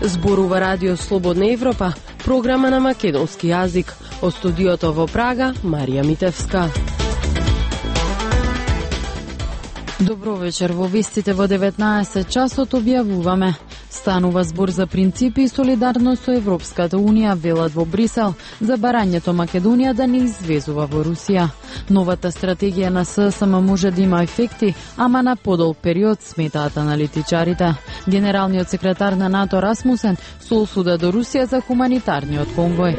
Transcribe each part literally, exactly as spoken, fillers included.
Зборува Радио Слободна Европа, програма на македонски јазик. Од студиото во Прага, Марија Митевска. Добро вечер, во вестите во деветнаесет часот објавуваме. Станува збор за принципи и солидарност со Европската Унија, велат во Брисел, за барањето Македонија да не извезува во Русија. Новата стратегија на ССМ може да има ефекти, ама на подолг период, сметаат аналитичарите. Генералниот секретар на НАТО Расмусен со осуда до Русија за хуманитарниот конвој.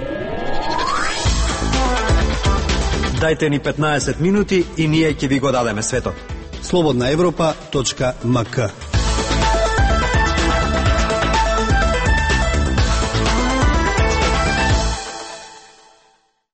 Дајте ни петнаесет минути и ние ќе ви го дадеме светот. слободна европа точка ем ка.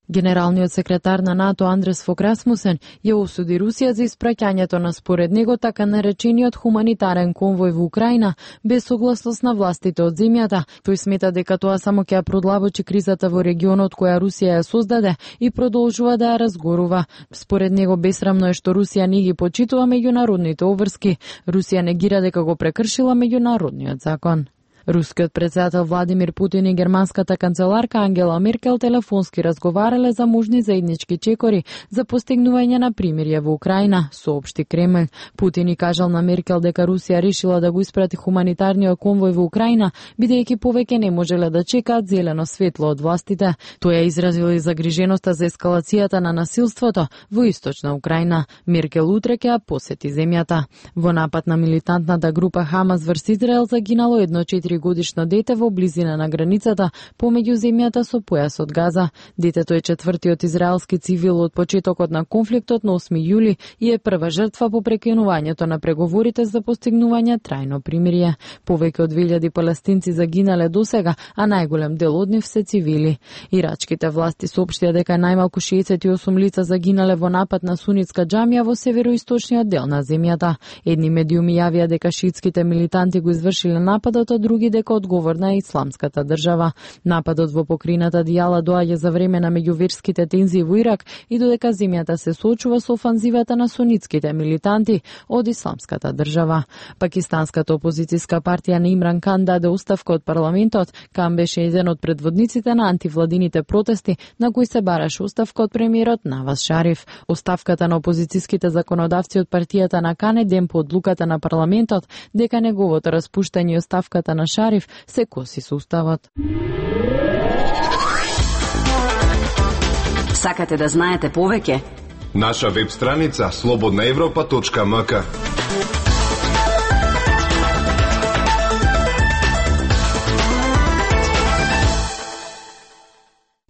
Генералниот секретар на НАТО Андрес Фок Расмусен ја осуди Русија за испраќањето на според него така наречениот хуманитарен конвој во Украина без согласност на властите од земјата. Тој смета дека тоа само ќе ја продлабочи кризата во регионот која Русија ја создаде и продолжува да ја разгорува. Според него бесрамно е што Русија не ги почитува меѓународните обврски. Русија негира дека го прекршила меѓународниот закон. Рускиот председател Владимир Путин и германската канцеларка Ангела Меркел телефонски разговарале за можни заеднички чекори за постигнување на примирје во Украина, соопшти Кремљ. Путин и кажал на Меркел дека Русија решила да го испрати хуманитарниот конвој во Украина, бидејќи повеќе не можеле да чекаат зелено светло од властите. Тој ја изразил и загриженоста за ескалацијата на насилството во источна Украина. Меркел утре ќе ја посети земјата. Во напад на милитантната група Хамас врз Израел загинало едно четири годишно дете во близина на границата помеѓу земјата со појасот Газа. Детето е четвртиот израелски цивил од почетокот на конфликтот на осми јули и е прва жртва по прекинувањето на преговорите за постигнување трајно примирје. Повеќе од две илјади палестинци загинале досега, а најголем дел од нив се цивили. Ирачките власти соопштија дека најмалку шеесет и осум лица загинале во напад на сунитска џамија во североисточниот дел на земјата. Едни медиуми јавија дека шиитските милитанти го извршиле нападот, а други дека одговорна е исламската држава. Нападот во покрината Дијала доаѓа за време на меѓуверските тензии во Ирак и додека земјата се соочува со офанзивата на сунитските милитанти од исламската држава. Пакистанската опозицијска партија на Имран Кан даде оставка од парламентот. Кан беше еден од предводниците на антивладините протести на кои се бараше оставка од премиерот Наваз Шариф. Оставката на опозицијските законодавци од партијата на Кан е ден по одлуката на парламентот дека неговото распуштање и оставката на Шариф се коси со уставот. Сакате да знаете повеќе? Наша веб страница слободна европа точка ем ка.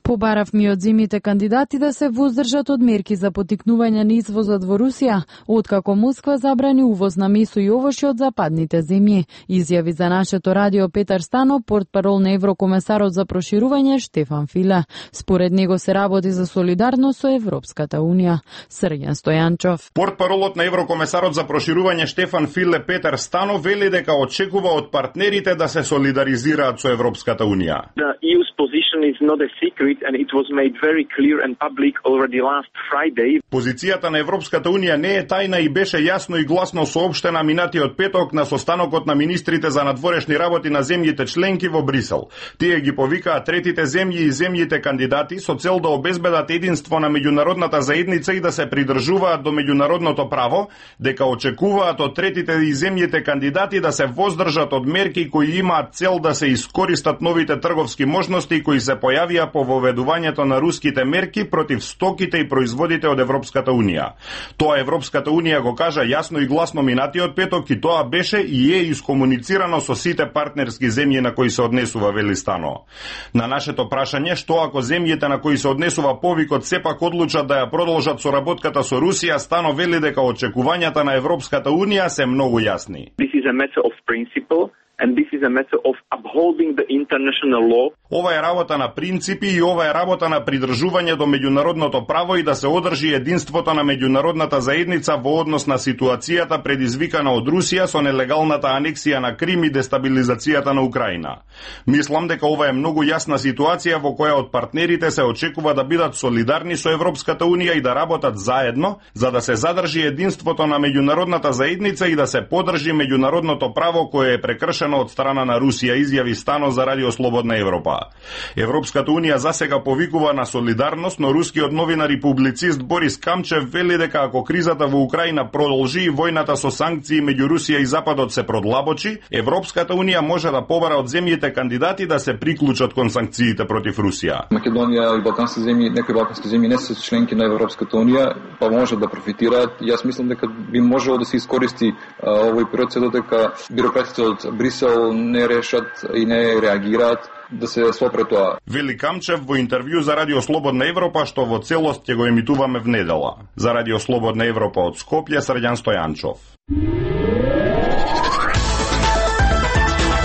Побаравме од земјите кандидати да се воздржат од мерки за поттикнување на извозот во Русија, откако Москва забрани увоз на месо и овошје од западните земји. Изјави за нашето радио Петар Стано, портпарол на еврокомесарот за проширување Штефан Филе. Според него се работи за солидарност со Европската Унија. Срѓан Стојанчов. Портпаролот на еврокомесарот за проширување Штефан Филе Петар Стано вели дека очекува од партнерите да се солидаризираат со Европската Унија. The E U's position is not a secret and it was made very clear and public already last Friday. Позицијата на Европската Унија не е тајна и беше јасно и гласно соопштена минатиот петок на состанокот на министрите за надворешни работи на земјите членки во Брисел. Тие ги повикаа третите земји и земјите кандидати со цел да обезбедат единство на меѓународната заедница и да се придржуваат до меѓународното право, дека очекуваат од третите и земјите кандидати да се воздржат од мерки кои имаат цел да се искористат новите трговски можности кои се појавија по воведувањето на руските мерки против стоките и производите од Европската Унија. Тоа Европската Унија го кажа јасно и гласно минатиот петок и тоа беше и е искомуницирано со сите партнерски земји на кои се однесува, вели Стано. На нашето прашање што ако земјите на кои се однесува повикот сепак одлучат да ја продолжат соработката со Русија, Стано вели дека очекувањата на Европската Унија се многу јасни. This is a matter of principle. And this is a matter of upholding the international law. Ова е работа на принципи и ова е работа на придржување до меѓународното право и да се одржи единството на меѓународната заедница во однос на ситуацијата предизвикана од Русија со нелегалната анексија на Крим и дестабилизацијата на Украина. Мислам дека ова е многу јасна ситуација во која од партнерите се очекува да бидат солидарни со Европската Унија и да работат заедно за да се задржи единството на меѓународната заедница и да се поддржи меѓународното право кое е прекршено организирано од страна на Русија, изјави Стано за Радио Слободна Европа. Европската унија засега повикува на солидарност, но рускиот новинар и публицист Борис Камчев вели дека ако кризата во Украина продолжи и војната со санкции меѓу Русија и Западот се продлабочи, Европската унија може да побара од земјите кандидати да се приклучат кон санкциите против Русија. Македонија и балкански земји, некои балкански земји не се членки на Европската унија, па може да профитираат. Јас мислам дека би можело да се искористи а, овој период се додека бюрократите од Брисел не решат и не реагираат да се сопре тоа. Вели Камчев во интервју за Радио Слободна Европа, што во целост ќе го емитуваме внедела. За Радио Слободна Европа од Скопје, Срđan Стојанчов.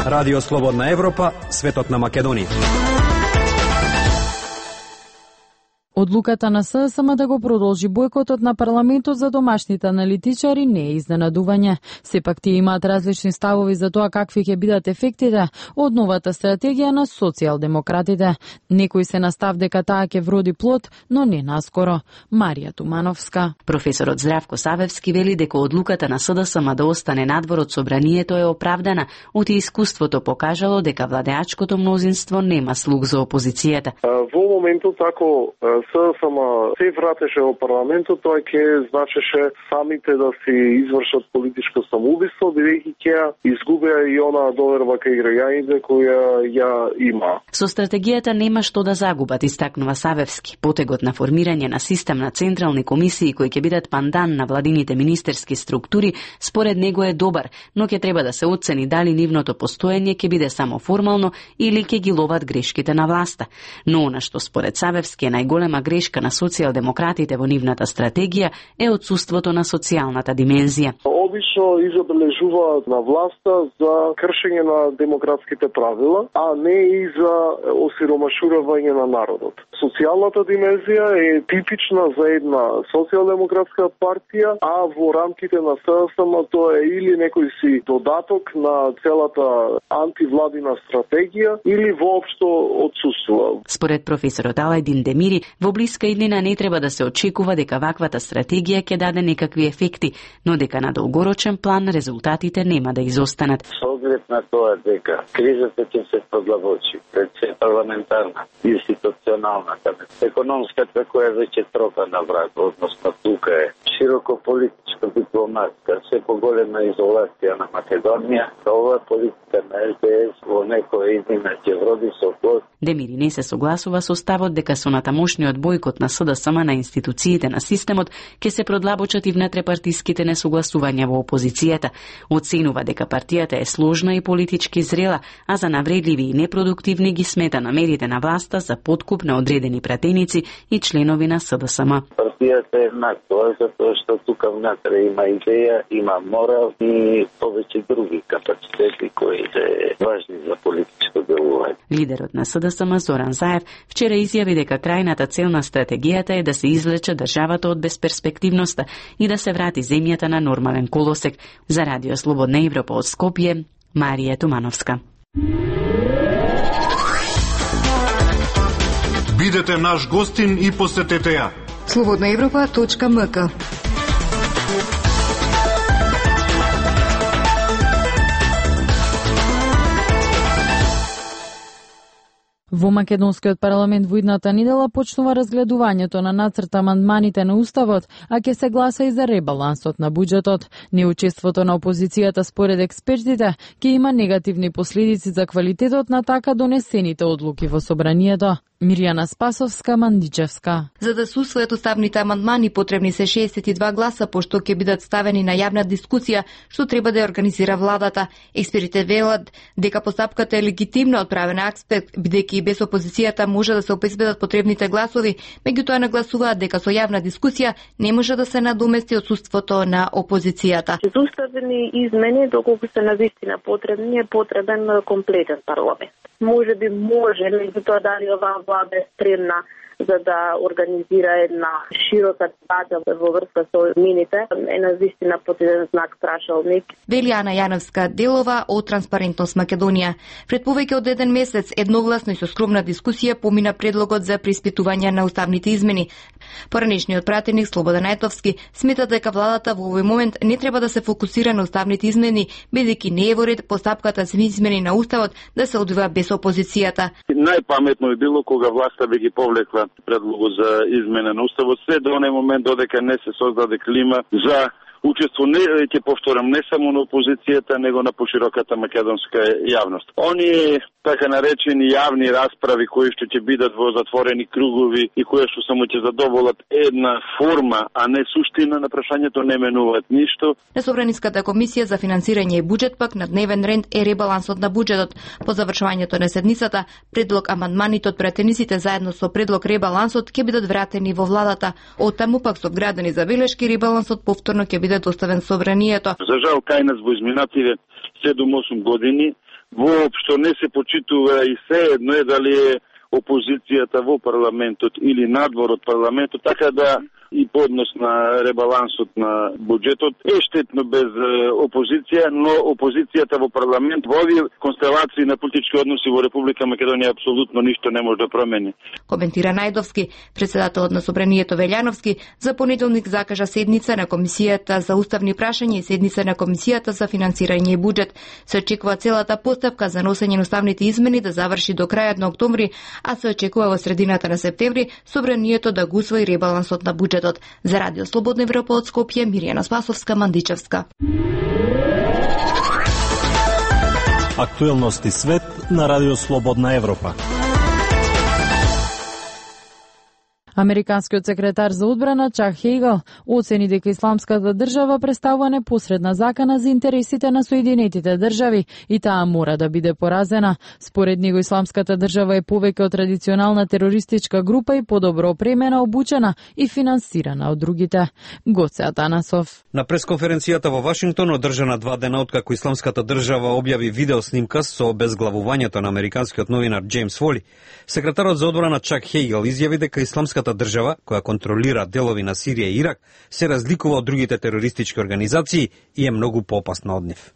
Радио Слободна Европа, светот на Македонија. Одлуката на СДСМ да го продолжи бојкотот на парламентот за домашните аналитичари не е изненадување. Сепак тие имаат различни ставови за тоа какви ќе бидат ефектите од новата стратегија на социјалдемократите. Некои се на став дека таа ќе вроди плод, но не наскоро. Марија Тумановска. Професорот Здравко Савевски вели дека одлуката на СДСМ да остане надвор од собранието е оправдана, оти искуството покажало дека владеачкото мнозинство нема слух за опозицијата. Во моментот ако СДСМ се вратеше во парламентот, тоа ќе значеше самите да си извршат политичко самоубиство, бидејќи ќе изгубеа и она доверба кај граѓаните која ја има. Со стратегијата нема што да загубат, истакнува Савевски. Потегот на формирање на систем на централни комисии кои ќе бидат пандан на владините министерски структури, според него е добар, но ќе треба да се оцени дали нивното постоење ќе биде само формално или ќе ги ловат грешките на власта. Но она што според Савевски е најголема грешка на социјалдемократите во нивната стратегија е отсуството на социјалната димензија. Обично изобележуваат на власта за кршење на демократските правила, а не и за осиромашување на народот. Социјалната димензија е типична за една социјалдемократска партија, а во рамките на СДСМ тоа е или некој си додаток на целата антивладина стратегија или воопшто отсуствува. Според професорот Алајдин Демири, во блиска иднина не треба да се очекува дека ваквата стратегија ќе даде некакви ефекти, но дека на долгорочен план резултатите нема да изостанат. Со оглед на тоа дека кризата ќе се продлабочи, пред се парламентарна, институционалната, економската која веќе тропа на враг, односно тука е широко политичко дипломатска, се поголема изолација на Македонија, ова политика на Ел Де Ес во некоја иднина ќе вроди со плод. Демири не се согласува со ставот дека со натамошниот бојкот на СДСМ на институциите на системот ќе се продлабочат и внетрепартиските несогласувања во опозицијата. Оценува дека партијата е сложна и политички зрела, а за навредливи и непродуктивни ги смета намерите на власта за подкуп на одредени пратеници и членови на СДСМ. Партијата е еднаква, затоа што тука внатре има идеја, има морал и повеќе други капацитети кои се важни за политичко делување. Лидерот на СДСМ Зоран Заев вчера изјави дека крајната цел на стратегијата е да се извлече државата од безперспективноста и да се врати земјата на нормален колосек. За Радио Слободна Европа од Скопје, Марија Тумановска. Бидете наш гостин и посетете ја. слободна европа точка ем ка. Во македонскиот парламент во идната недела почнува разгледувањето на нацрт амандманите на Уставот, а ќе се гласа и за ребалансот на буџетот. Неучеството на опозицијата според експертите ќе има негативни последици за квалитетот на така донесените одлуки во собранието. Мирјана Спасовска, Мандичевска. За да се усвојат уставните амандмани потребни се шеесет и два гласа, пошто ќе бидат ставени на јавна дискусија, што треба да ја организира владата. Експертите велат дека постапката е легитимна од правен аспект, бидејќи и без опозицијата може да се обезбедат потребните гласови, меѓутоа нагласуваат дека со јавна дискусија не може да се надомести отсуството на опозицијата. За уставни измени, доколку се навистина потребни, е потребен комплетен парламент. Може би може, меѓутоа дали оваа влада е спремна за да организира една широка дебата во врска со мините, е навистина под еден знак прашалник. Вели Ана Јановска Делова од Транспарентност Македонија. Пред повеќе од еден месец едногласно и со скромна дискусија помина предлогот за преиспитување на уставните измени. Поранешниот пратеник Слободан Ајтовски смета дека владата во овој момент не треба да се фокусира на уставните измени, бидејќи не е во ред постапката за измени на уставот да се одвива без опозицијата. Најпаметно е било кога власта би ги повлекла предлогот за измена на уставот, се до оној момент додека не се создаде клима за учество, не ќе повторам, не само на опозицијата, него на пошироката македонска јавност. Оние така наречени јавни расправи кои што ќе бидат во затворени кругови и кои што само ќе задоволат една форма, а не суштина на прашањето, не менуваат ништо. На Собраниската комисија за финансирање и буџет пак на дневен ред е ребалансот на буџетот. По завршувањето на седмицата, предлог амандманите од претениците заедно со предлог ребалансот ќе бидат вратени во владата. Од таму пак со вградени забелешки ребалансот повторно ќе биде доставен собранието. За жал кај нас во изминативе седум-осум години воопшто не се почитува и се едно е дали е опозицијата во парламентот или надвор од парламентот, така да и поднос на ребалансот на буџетот е штетно без опозиција, но опозицијата во парламент во овие констелации на политички односи во Република Македонија апсолутно ништо не може да промени. Коментира Најдовски, председателот на Собранието Велјановски, за понеделник закажа седница на Комисијата за уставни прашања и седница на Комисијата за финансирање и буџет. Се очекува целата постапка за носење на уставните измени да заврши до крајот на октомври, а се очекува во средината на септември Собранието да го усвои ребалансот на буџетот. За Радио Слободна Европа од Скопје, Миријана Спасовска, Мандичевска. Актуелности свет на Радио Слободна Европа. Американскиот секретар за одбрана Чак Хејгел оцени дека исламската држава представува непосредна закана за интересите на Соединетите држави и таа мора да биде поразена. Според него исламската држава е повеќе од традиционална терористичка група и подобро опремена, обучена и финансирана од другите. Гоце Атанасов. На пресконференцијата во Вашингтон, одржана два дена откако исламската држава објави видео снимка со обезглавувањето на американскиот новинар Џејмс Фоли, секретарот за одбрана Чак Хејгел изјави дека исламската држава, која контролира делови на Сирија и Ирак, се разликува од другите терористички организации и е многу поопасна од нив.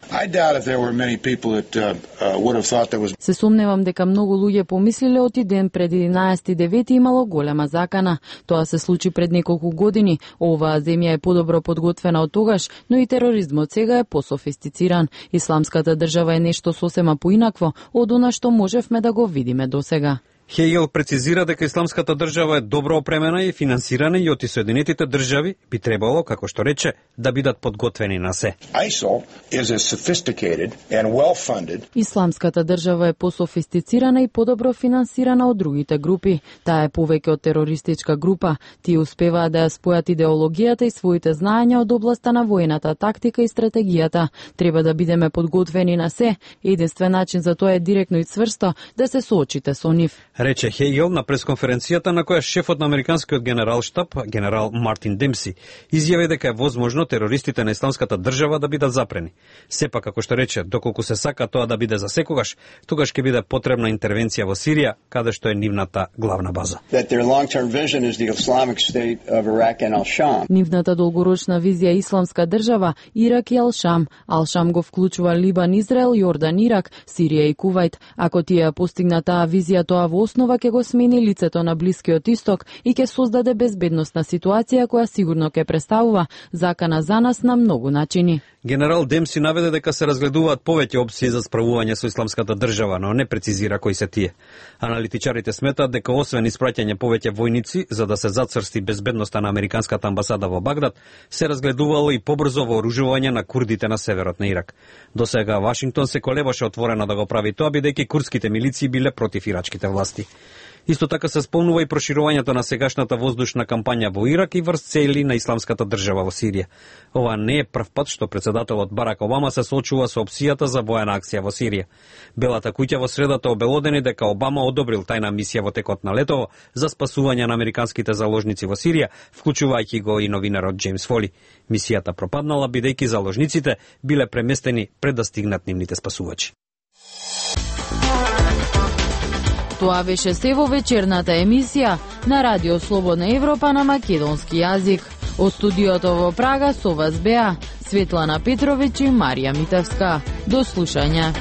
Се сомневам дека многу луѓе помислиле оти ден пред единаесети девети имало голема закана. Тоа се случи пред неколку години. Оваа земја е подобро подготвена од тогаш, но и тероризмот сега е пософистициран. Исламската држава е нешто сосема поинакво од она што можевме да го видиме досега. Хејгел прецизира дека исламската држава е добро опремена и финансирана и од Соединетите држави би требало, како што рече, да бидат подготвени на се. Исламската држава е пософистицирана и подобро финансирана од другите групи. Таа е повеќе од терористичка група. Тие успеваат да ја спојат идеологијата и своите знаења од областа на воената тактика и стратегијата. Треба да бидеме подготвени на се. Единствен начин за тоа е директно и цврсто да се соочите со нив, рече Хејгел на пресконференцијата на која шефот на американскиот генералштаб, генерал Мартин Демси, изјави дека е возможно терористите на исламската држава да бидат запрени. Сепак, како што рече, доколку се сака тоа да биде за секогаш, тогаш ќе биде потребна интервенција во Сирија, каде што е нивната главна база. Нивната долгорочна визија е исламска држава, Ирак и Ал-Шам. Ал-Шам го вклучува Либан, Израел, Јордан, Ирак, Сирија и Кувајт. Ако тие постигнат таа визија, тоа во основа ќе го смени лицето на Блискиот Исток и ќе создаде безбедносна ситуација која сигурно ќе представува закана за нас на многу начини. Генерал Демси наведе дека се разгледуваат повеќе опции за справување со исламската држава, но не прецизира кои се тие. Аналитичарите сметаат дека освен испраќање повеќе војници за да се зацрсти безбедноста на американската амбасада во Багдад, се разгледувало и побрзо вооружување на курдите на северот на Ирак. Досега Вашингтон се колебаше отворено да го прави тоа, бидејќи курдските милиции биле против ирачките власти. Исто така се спомнува и проширувањето на сегашната воздушна кампања во Ирак и врз цели на исламската држава во Сирија. Ова не е прв пат што председателот Барак Обама се соочува со опцијата за воена акција во Сирија. Белата куќа во средата обелодени дека Обама одобрил тајна мисија во текот на летово за спасување на американските заложници во Сирија, вклучувајќи го и новинарот Џејмс Фоли. Мисијата пропаднала бидејќи заложниците биле преместени пред да стигнат нивните спасувачи. Тоа беше се во вечерната емисија. на Радио Слободна Европа на македонски јазик. Од студиото во Прага со вас беа Светлана Петровиќ и Марија Митевска. До слушање.